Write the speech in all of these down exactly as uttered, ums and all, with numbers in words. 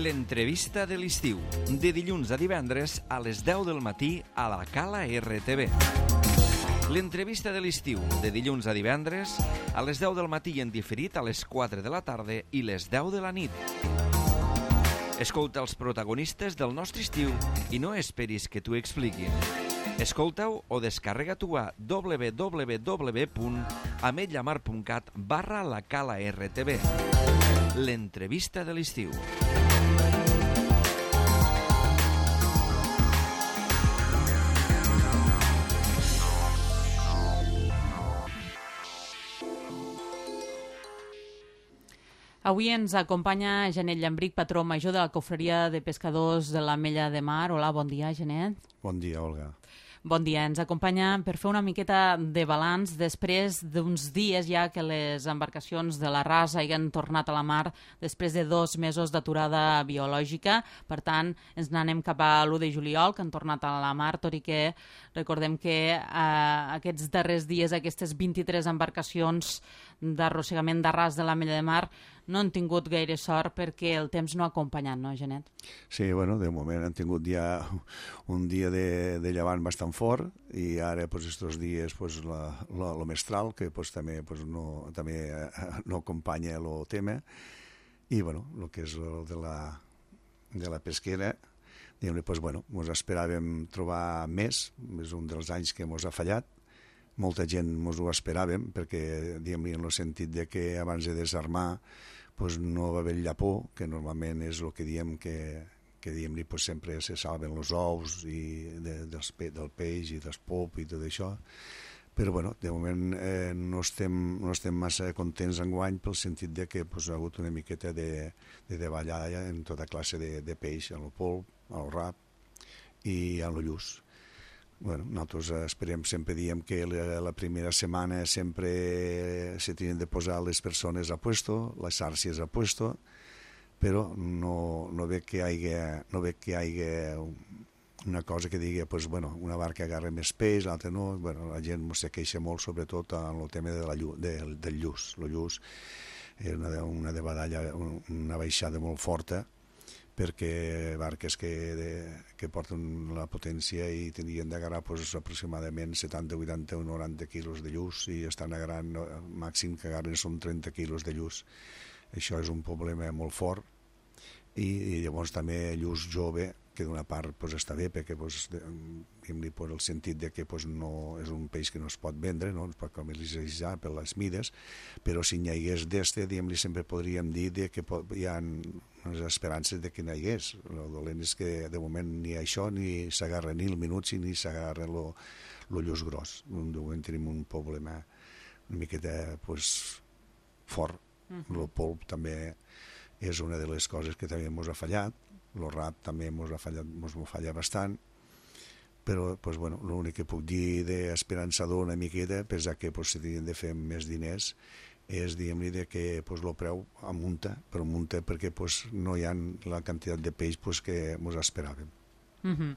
L'entrevista de l'estiu, de dilluns a divendres a les deu del matí a la Cala R T V. L'entrevista de l'estiu, de dilluns a divendres a les deu del matí i en diferit a les quatre de la tarda i les deu de la nit. Escolta els protagonistes del nostre estiu i no esperis que t'ho expliquin. Escolta-ho o descarrega-t'ho a w w w punt ametlllamar punt cat barra la Cala R T V. L'entrevista de l'estiu. Avui ens acompanya Genet Llambric, patró major de la Cofreria de Pescadors de l'Ametlla de Mar. Hola, bon dia, Genet. Bon dia, Olga. Bon dia. Ens acompanya per fer una miqueta de balanç després d'uns dies ja que les embarcacions de la Rasa hagin tornat a la mar després de dos mesos d'aturada biològica. Per tant, ens n'anem cap a l'u de juliol, que han tornat a la mar, tot i que recordem que eh, aquests darrers dies aquestes vint-i-tres embarcacions d'arrossegament d'arràs de l'Ametlla de Mar no han tingut gaire sort perquè el temps no ha acompanyat, no, Genet? Sí, bueno, de moment han tingut ja un dia de, de llevant bastant fort i ara, pues, estos dies, pues, la, la, lo mestral, que pues, també, pues, no, també no acompanya el tema, i, bueno, el que és el de la, de la pesquera, diguem-ne, pues, bueno, ens esperàvem trobar més, és un dels anys que ens ha fallat. Molta gent ens ho esperàvem, perquè, diguem-ne, en el sentit de que abans de desarmar pues, no va haver llapó, que normalment és el que diem que, que diguem-ne, pues, sempre se salven els ous i de, dels, del peix i del pop i tot això. Però, bueno, de moment eh, no, estem, no estem massa contents enguany pel sentit de que pues, ha hagut una miqueta de, de davallada en tota classe de, de peix, en el polp, al rap i en el lluç. Bueno, nosaltres esperem, sempre diem que la, la primera setmana sempre se tenen de posar les persones a puesto, les xarxes a puesto, però no, no ve que hi hagi, no ve que hi hagi una cosa que digui, pues, bueno, una barca agarra més peix, l'altra no. Bueno, la gent se queixa molt, sobretot en el tema de la llu, de, del lluç. El lluç és una, una davallada, una baixada molt forta, perquè barques que, de, que porten la potència i tindrien d'agarrar pues, aproximadament setanta, vuitanta o noranta quilos de lluç i estan agarrant, no, el màxim que agarren són trenta quilos de lluç. Això és un problema molt fort i, i llavors també lluç jove, que d'una part pues, està bé perquè pues, diguem-li per el sentit de que pues, no és un peix que no es pot vendre, no es pot comercialitzar per les mides, però si n'hi hagués d'este, diguem-li, sempre podríem dir de que hi ha unes esperances de que n'hi hagués. El dolent és que de moment ni això ni s'agarra ni el minutsi ni s'agarra el lluç gros. De moment tenim un problema una miqueta pues, fort. Uh-huh. El polp també és una de les coses que també ens ha fallat. El rap també ens ha fallat, ens falla bastant, però pues, bueno, l'únic que puc dir d'esperançador una miqueta, pensar que pues, si tenien de fer més diners, és diguem-li que pues, el preu amunta, però amunta perquè pues, no hi ha la quantitat de peix pues, que ens esperàvem. Mm-hmm.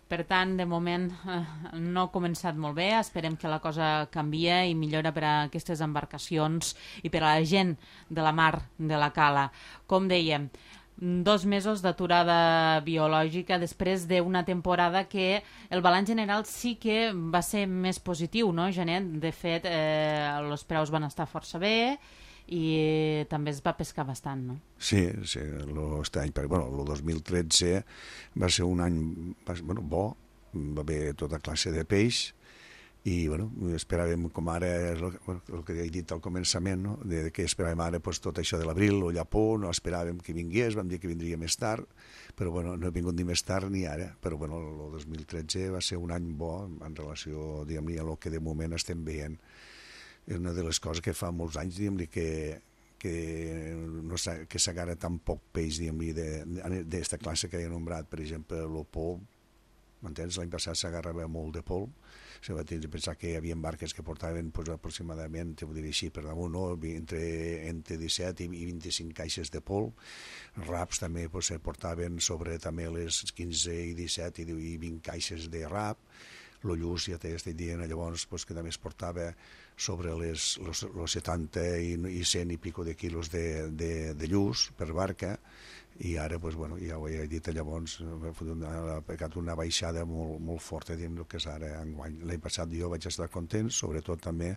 Per tant, de moment eh, no ha començat molt bé, esperem que la cosa canvia i millora per a aquestes embarcacions i per a la gent de la mar de la Cala. Com dèiem, dos mesos d'aturada biològica després d'una temporada que el balanç general sí que va ser més positiu, no, Genet? De fet, eh, els preus van estar força bé i també es va pescar bastant, no? Sí, sí, aquest any, bueno, el dos mil tretze va ser un any bueno, bo, va haver tota classe de peix i bueno, esperàvem com ara el, el que he dit al començament, no? de que esperàvem ara pues, tot això de l'abril o llapó, no esperàvem que vingués, vam dir que vindria més tard, però bueno, no ha vingut ni més tard ni ara, però bueno, el dos mil tretze va ser un any bo en relació, diguem-li, a el que de moment estem veient. És una de les coses que fa molts anys, diguem-li, que que, no que s'agarra tan poc peix, diguem-li, d'esta classe que he nombrat, per exemple, el polp, m'entens? L'any passat s'agarrava molt de polp, se va tenir de pensar que hi havia barques que portaven pues, aproximadament, ho diré així, per damunt, no? entre, entre disset i vint-i-cinc caixes de polp. Raps també pues, se portaven sobre també les quinze i disset i vint caixes de rap. El lluç, ja t'estic dient, llavors, pues, que també es portava sobre les, los, los setanta i, i cent i pico de quilos de, de, de lluç per barca, i ara, doncs, bueno, ja ho he dit llavors, ha pegat una baixada molt, molt forta, diguem, el que és ara enguany. L'any passat jo vaig estar content, sobretot també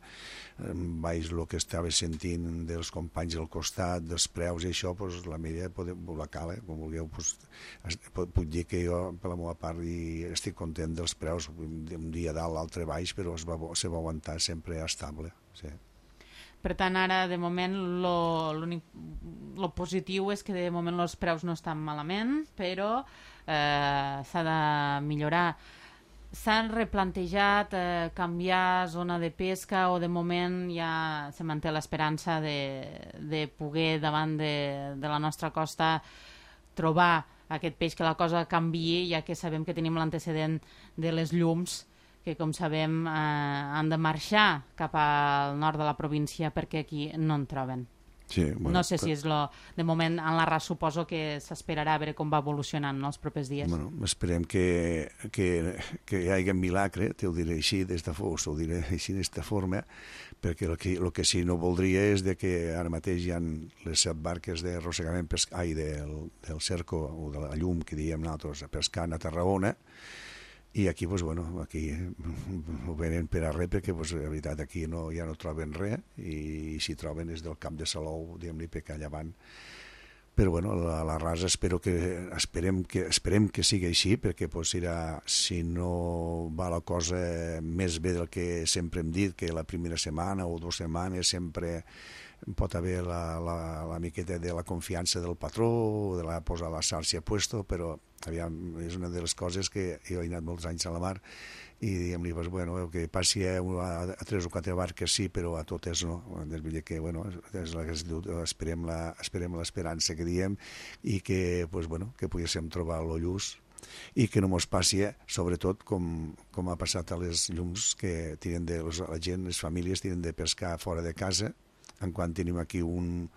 vaig el que estava sentint dels companys al costat, dels preus i això, doncs, la media, la cala, com vulgueu, doncs, puc dir que jo, per la meva part, i estic content dels preus, un dia dalt, l'altre baix, però es va, se va aguantar sempre estable, sí. Per tant, ara, de moment, el positiu és que de moment els preus no estan malament, però eh, s'ha de millorar. S'han replantejat eh, canviar zona de pesca o de moment ja se manté l'esperança de, de poder davant de, de la nostra costa trobar aquest peix, que la cosa canviï, ja que sabem que tenim l'antecedent de les llums, que, com sabem, eh, han de marxar cap al nord de la província perquè aquí no en troben. Sí, bueno, no sé si és lo... De moment, en la R A S suposo que s'esperarà a veure com va evolucionant, no, els propers dies. Bueno, esperem que, que, que hi hagi un milagre, te ho diré així, d'esta forma, ho diré així d'esta forma, perquè el que, el que sí no voldria és de que ara mateix hi ha les set barques de arrossegament pesca, ai, del, del cerco o de la llum, que diem nosaltres, pescant a Tarragona, i aquí, doncs, bueno, aquí ho venen per a res, perquè, doncs, la veritat, aquí no, ja no troben res, i si troben és del Camp de Salou, diguem-li, perquè allà van. Però, bueno, la, la rasa espero que, esperem, que, esperem que sigui així, perquè, doncs, serà, si no va la cosa més bé del que sempre hem dit, que la primera setmana o dues setmanes sempre pot haver la, la, la miqueta de la confiança del patró, de la posar la xarxa a puesto, però aviam, és una de les coses que jo he anat molts anys a la mar i diguem-li, pues, bueno, que passi a, a, a tres o quatre barques sí, però a totes no. Vull dir que, bueno, és la que es diu, esperem la, esperem l'esperança que diem i que, pues, bueno, que poguéssim trobar lo lluç i que no mos passi, sobretot, com, com ha passat a les llums que tiren de, la gent, les famílies tiren de pescar fora de casa, en quan tenim aquí un,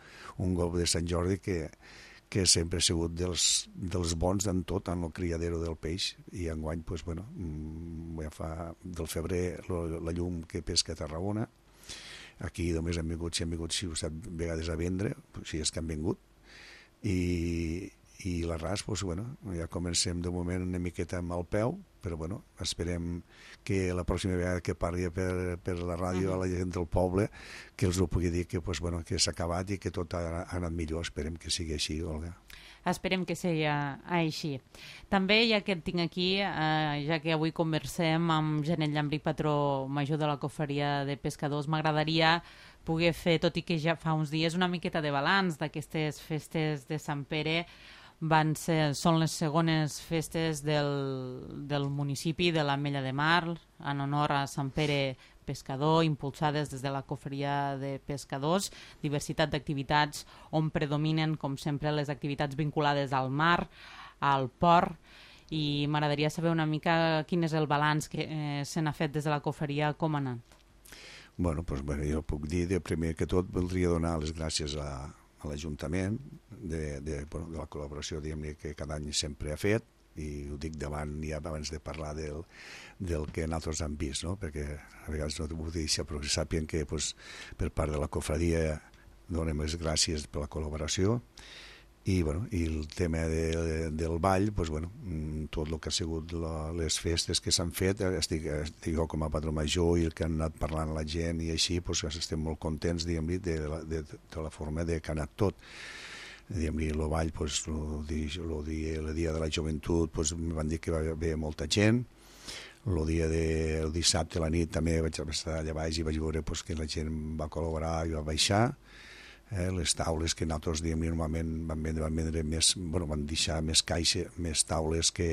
un golf de Sant Jordi que, que sempre ha sigut dels, dels bons en tot, en el criadero del peix, i enguany, pues, bueno, ja fa del febrer lo, la llum que pesca a Tarragona. Aquí només han vingut, si han vingut sis o set vegades a vendre, si és que han vingut, i, i la R A S, pues, bueno, ja comencem de moment una miqueta amb el peu, però, bueno, esperem que la pròxima vegada que parli per, per la ràdio a la gent del poble, que els ho pugui dir que, pues, bueno, que s'ha acabat i que tot ha, ha anat millor. Esperem que sigui així, Olga. Esperem que sigui així. També, ja que et tinc aquí, eh, ja que avui conversem amb Janet Llambric, patró major de la Cofreria de Pescadors, m'agradaria poder fer, tot i que ja fa uns dies, una miqueta de balanç d'aquestes festes de Sant Pere. Van ser, són les segones festes del, del municipi de l'Ametlla de Mar, en honor a Sant Pere Pescador, impulsades des de la Cofreria de Pescadors, diversitat d'activitats on predominen, com sempre, les activitats vinculades al mar, al port, i m'agradaria saber una mica quin és el balanç que eh, se n'ha fet des de la Cofreria, com ha anat. Bueno, doncs, bueno, jo puc dir, de primer que tot, voldria donar les gràcies a a l'Ajuntament de, de, bueno, de la col·laboració, diguem-ne, que cada any sempre ha fet, i ho dic davant ja abans de parlar del, del que nosaltres hem vist, no? Perquè a vegades no ho dic, però que sàpien que, pues, per part de la cofradia donem les gràcies per la col·laboració. I, bueno, i el tema de, de, del ball, pues, bueno, tot el que ha sigut la, les festes que s'han fet, estic, estic jo com a patró major i el que han anat parlant la gent i així, pues, estem molt contents, diguem-li, de, de, de la forma de que ha anat tot. Diguem-li, el ball, pues, el, el, dia, el dia de la joventut, pues, em van dir que va haver molta gent. El dia de, el dissabte a la nit també vaig estar allà baix i vaig veure, pues, que la gent va col·laborar i va baixar. Eh, les taules que nosaltres, diguem, normalment van vendre, van vendre més, bueno, van deixar més caixa, més taules que,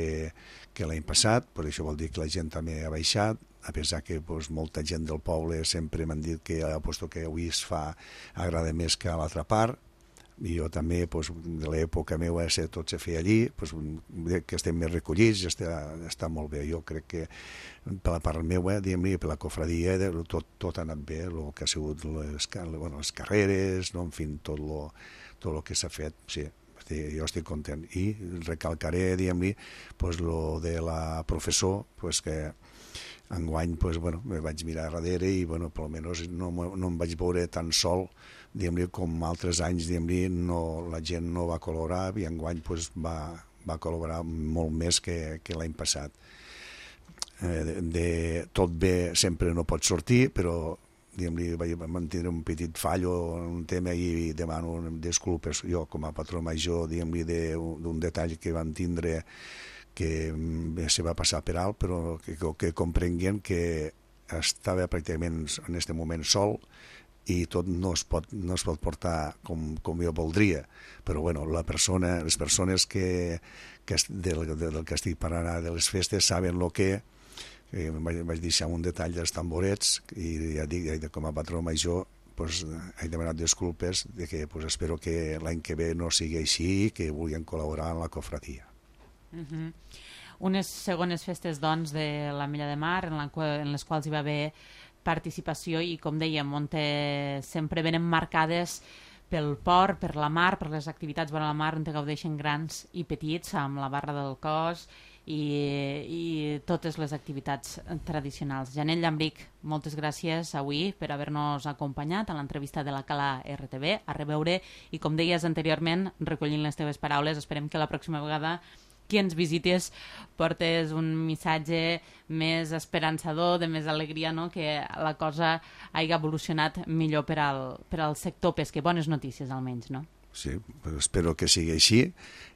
que l'any passat, per això vol dir que la gent també ha baixat, a pesar que, pues, molta gent del poble sempre m'han dit que aposto que avui es fa, agrada més que a l'altra part, i jo també, pues, de l'època meva tot se feia allí, pues, que estem més recollits, està, està molt bé. Jo crec que per la part meva, diguem-ne, per la cofradia, tot, tot ha anat bé, el que ha sigut les, bueno, les carreres, no? En fi, tot lo, tot lo que s'ha fet, sí, jo estic content. I recalcaré, diguem-ne, pues, lo de la professor, pues, que Enguany, pues, bueno, me vaig mirar darrere i, bueno, per almenys no, no em vaig veure tan sol, diguem-li, com altres anys, diguem-li, no, la gent no va col·laborar i enguany pues, va, va col·laborar molt més que, que l'any passat. Eh, de, de, tot bé sempre no pot sortir, però diguem-li, vaig mantenir un petit fallo en un tema i demano disculpes jo com a patró major, diguem-li, d'un detall que van tindre que se va passar per alt, però que, que comprenguen que estava pràcticament en aquest moment sol i tot no es pot, no es pot portar com, com jo voldria. Però bueno, la persona, les persones que, que del, del que estic parlant de les festes saben el que eh, vaig, vaig deixar un detall dels tamborets i ja dic, com a patró major pues, he demanat disculpes de que pues, espero que l'any que ve no sigui així i que vulguin col·laborar en la cofradia. Uh-huh. Unes segones festes doncs de l'Ametlla de Mar en, la, en les quals hi va haver participació i com dèiem on sempre venen marcades pel port, per la mar, per les activitats vora la mar on gaudeixen grans i petits amb la barra del cos i, i totes les activitats tradicionals. Janel Llambric, moltes gràcies avui per haver-nos acompanyat a l'entrevista de la Cala R T V, a reveure i com deies anteriorment, recollint les teves paraules, esperem que la pròxima vegada qui ens visites portes un missatge més esperançador, de més alegria, no? Que la cosa hagi evolucionat millor per al, per al sector pesquer. Bones notícies, almenys, no? Sí, espero que sigui així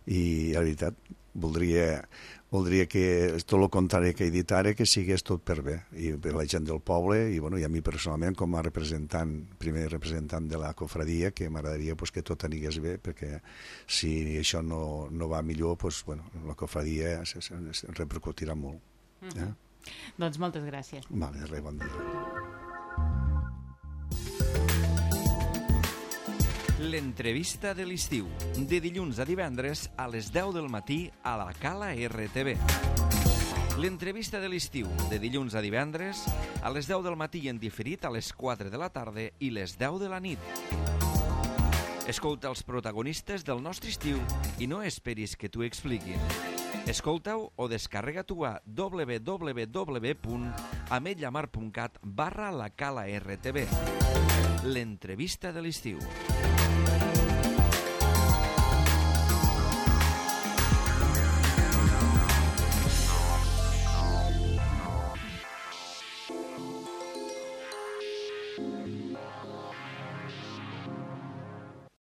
i, la veritat, voldria, voldria que tot el contrari que he dit ara, que sigués tot per bé, i per la gent del poble, i, bueno, i a mi personalment, com a representant, primer representant de la cofradia, que m'agradaria pues, que tot anigués bé, perquè si això no, no va millor, pues, bueno, la cofradia es, es, es repercutirà molt. Mm-hmm. Eh? Doncs moltes gràcies. Vale, res, bon dia. L'entrevista de l'estiu, de dilluns a divendres a les deu del matí a la Cala R T V. L'entrevista de l'estiu, de dilluns a divendres a les deu del matí en diferit a les quatre de la tarda i les deu de la nit. Escolta els protagonistes del nostre estiu i no esperis que t'ho expliquin. Escolta-ho o descarrega-t'ho a w w w punt ametlla mar punt cat barra la Cala R T V. L'entrevista de l'estiu.